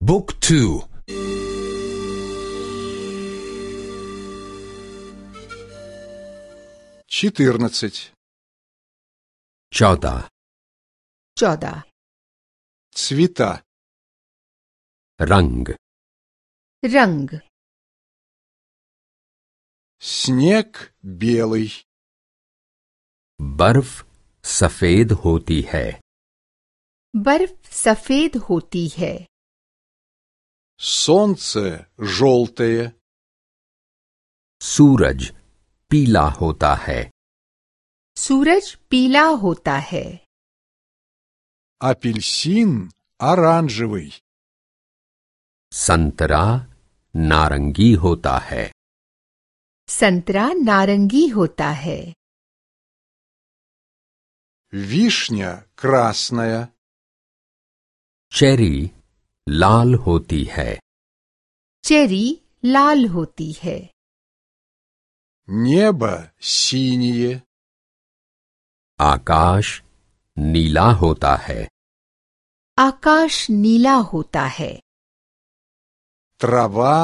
บุ๊กทู14 14 цвета रंग रंग снег белый बर्फ सफेद होती है बर्फ सफेद होती है солнце желтое सूरज पीला होता है सूरज पीला होता है апельсин оранжевый संतरा नारंगी होता है संतरा नारंगी होता है вишня красная चेरी लाल होती है चेरी लाल होती है небо синее आकाश नीला होता है आकाश नीला होता है трава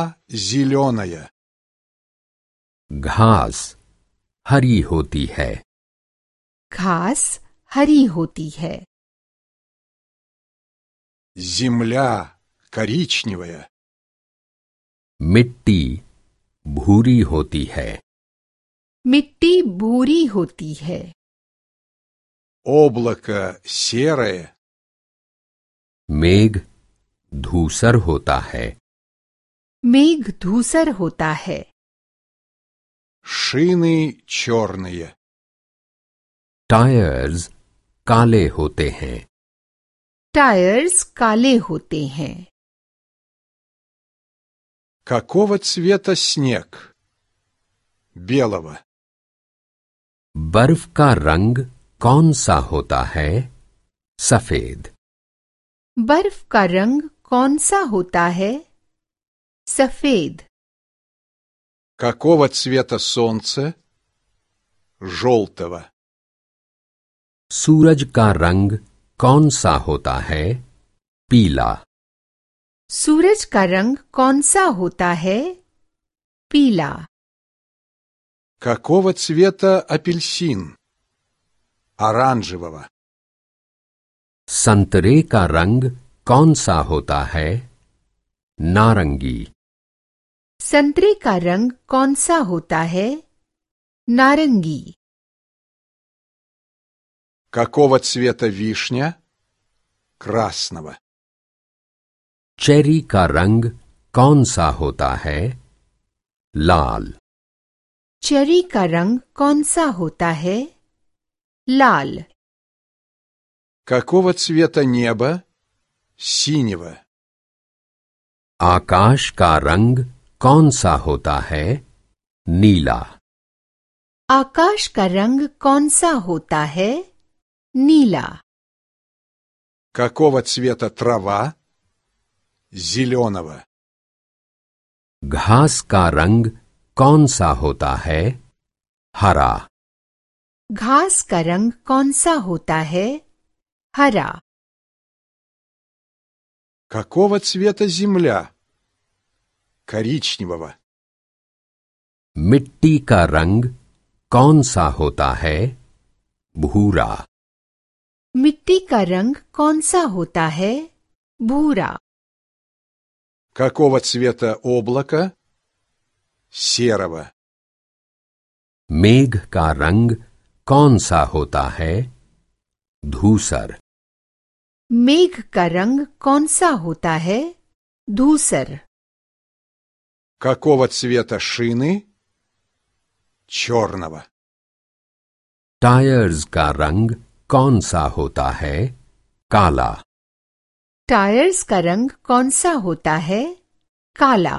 зеленая घास हरी होती है घास हरी होती है земля коричневая मिट्टी भूरी होती है मिट्टी भूरी होती है облако серое मेघ धूसर होता है मेघ धूसर होता है шины черные टायर्स काले होते हैं टायर्स काले होते हैं какого цвета снег белого बर्फ का रंग कौन सा होता है सफेद बर्फ का रंग कौन सा होता है सफेद какого цвета солнце желтого सूरज का रंग कौन सा होता है पीला सूरज का रंग कौन सा होता है पीला какого цвета апельсин оранжевого संतरे का रंग कौन सा होता है नारंगी संतरे का रंग कौन सा होता है नारंगी какого цвета вишня красного चेरी का रंग कौन सा होता है लाल चेरी का रंग कौन सा होता है लाल какого цвета небо синего आकाश का रंग कौन सा होता है नीला आकाश का रंग कौन सा होता है नीला какого цвета трава зеленого घास का रंग कौन सा होता है हरा घास का रंग कौन सा होता है हरा какого цвета земля коричневого मिट्टी का रंग कौन सा होता है भूरा मिट्टी का रंग कौन सा होता है भूरा какого цвета облако серого मेघ का रंग कौन सा होता है धूसर मेघ का रंग कौन सा होता है धूसर какого цвета шины черного टायर्स का रंग कौन सा होता है काला टायर्स का रंग कौन सा होता है काला